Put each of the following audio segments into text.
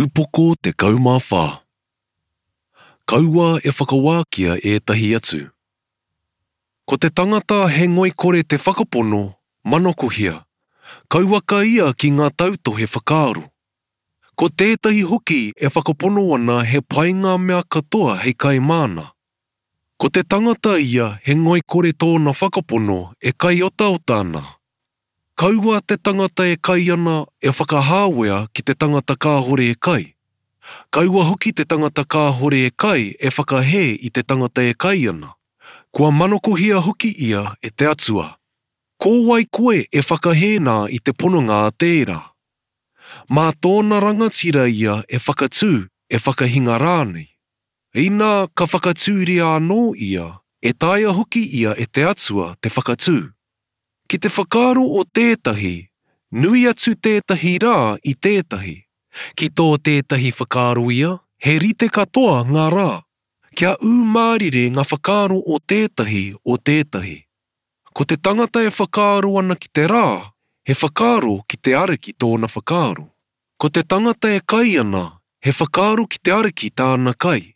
Upoko 14. Kaua e whakawākia ētahi atu. Ko te tangata he ngoikore te whakapono, manakohia, kauaka ia ki ngā tautohe whakaaro. Ko tētahi hoki e whakapono ana he pai ngā mea katoa hei kai māna. Ko te tangata ia he ngoikore tōna whakapono e kai otaota ana. Kaua te tangata e kai ana e whakahāwea ki te tangata kāhore e kai. Kaua hoki te tangata kāhore e kai e whakahē i te tangata e kai ana. Kua manokohia hoki ia e te Atua. Ko wai koe e whakahē nā i te pononga a tērā? Mā tōna rangatira ia e whakatū, e whakahinga rānei. Inā ka whakatūria anō ia, e taea hoki ia e te Atua te whakatū. Ki te whakaaro o tētahi, nui atu tētahi rā i tētahi. Ki tō tētahi whakaaro ia, he rite katoa ngā rā. Kia ū mārire ngā whakaaro o tētahi o tētahi. Ko te tangata e whakaaro ana ki te rā, he whakaaro ki te Ariki tōna whakaaro. Ko te tangata e kai ana, he whakaaro ki te Ariki tāna kai.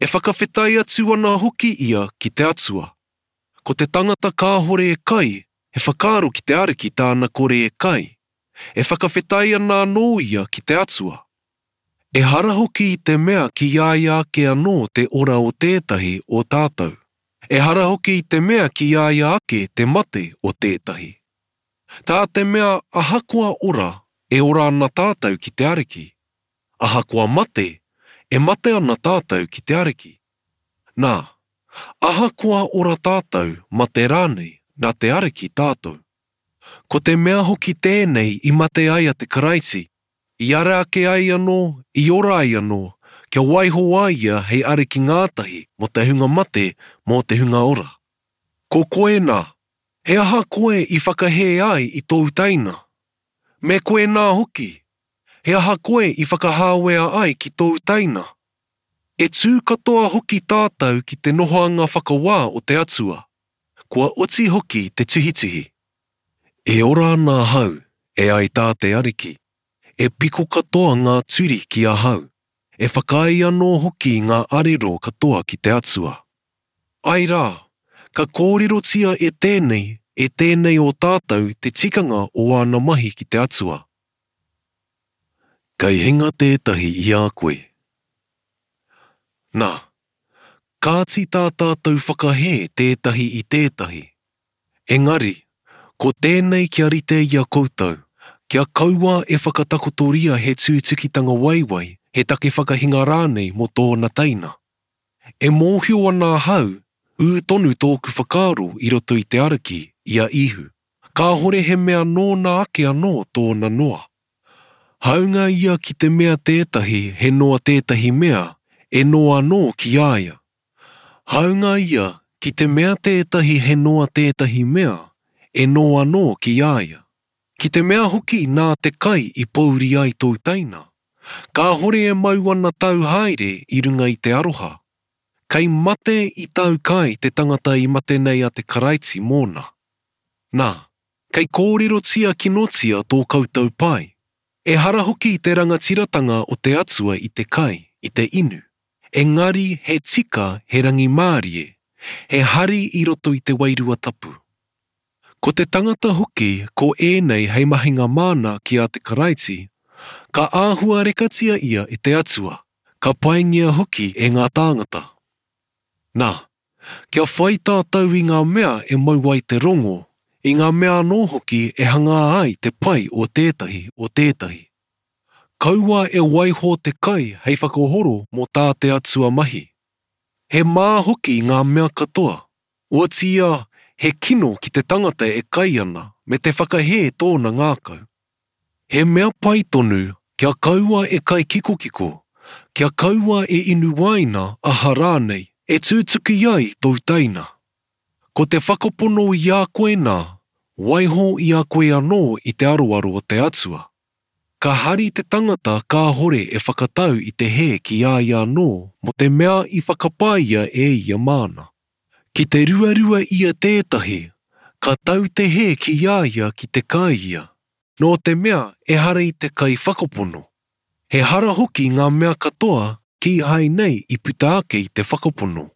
E whakawhetai atu ana hoki ia ki te Atua. Ko te tangata kāhore e kai, he whakaaro ki te Ariki tāna kore e kai. E whakawhetai ana anō ia ki te Atua. Ehara hoki i te mea ki a ia ake anō te ora o tētahi o tātou. Ehara hoki i te mea ki a ia ake te mate o tētahi. Tā te mea ahakoa ora, e ora ana tātou ki te Ariki. Ahakoa mate, e mate ana tātou ki te Ariki. Nā, ahakoa ora tātou, mate rānei, nā te Ariki tātou. Ko te mea hoki tēnei i mate ai a te Karaiti, i ara ake ai anō, i ora ai anō, kia waiho a ia hei Ariki ngātahi mō te hunga mate, mō te hunga ora. Ko koe nā, he aha koe i whakahē ai i tōu teina? Me koe nā hoki, he aha koe i whakahāwea ai ki tōu teina? E tū katoa hoki tātou ki te nohoanga whakawā o te Atua, kua oti hoki te tuhituhi. E ora ana ahau, e ai tā te Ariki, e piko katoa ngā turi ki ahau, e whakaae anō hoki ngā arero katoa ki te Atua. Āe rā, ka kōrerotia e tēnei, e tēnei o tātou te tikanga o āna mahi ki te Atua. Kei hinga tētahi i a koe. Nā, kāti tā tātou whakahē tētahi i tētahi. Engari, ko tēnei kia rite i a koutou, kia kaua e whakatakotoria he tūtukitanga waiwai, he take whakahinga rānei mō tōna teina. E mōhio ana ahau, ū tonu tōku whakaaro i roto i te Ariki, i a Īhu. Kāhore he mea nōna ake anō tōna noa. Hāunga ia ki te mea tētahi he noa tētahi mea, e noa anō ki a ia. Hāunga ia ki te mea tētahi he noa tētahi mea, e noa anō ki a ia. Ki te mea hoki nā te kai i pōuri ai tōu teina, kāhore e mau ana tāu haere i runga i te aroha. Kei mate i tāu kai te tangata i mate nei a te Karaiti mōna. Nā, kei kōrerotia kinotia tō koutou pai. Ehara hoki te rangatiratanga o te Atua i te kai, i te inu, engari he tika he rangimārie, he hari i roto i te Wairua Tapu. Ko te tangata hoki ko ēnei hei mahinga māna ki a te Karaiti, ka āhuarekatia ia e te Atua, ka paingia hoki e ngā tāngata. Nā, Kia whai tātou i ngā mea e mau ai te rongo, i ngā mea anō hoki e hangā ai te pai o tētahi o tētahi. Kaua e waiho te kai hei whakahoro mō tā te Atua mahi. He mā hoki ngā mea katoa, otiia he kino ki te tangata e kai ana me te whakahē tōna ngākau. He mea pai tonu kia kaua e kai kikokiko, kia kaua e inu wāina aha rānei e tūtuki ai tōu teina. Ko te whakapono i a koe nā, waiho i a koe anō i te aroaro o te Atua. Ka hari te tangata kāhore e whakatau i te hē ki a ia anō mō te mea i whakapaia e ia māna. Ki te ruarua ia tētahi, ka tau te hē ki a ia ki te kai ia. Nō te mea ehara i te kaiwhakapono. He hara hoki ngā mea katoa kīhai nei i puta ake i te whakapono.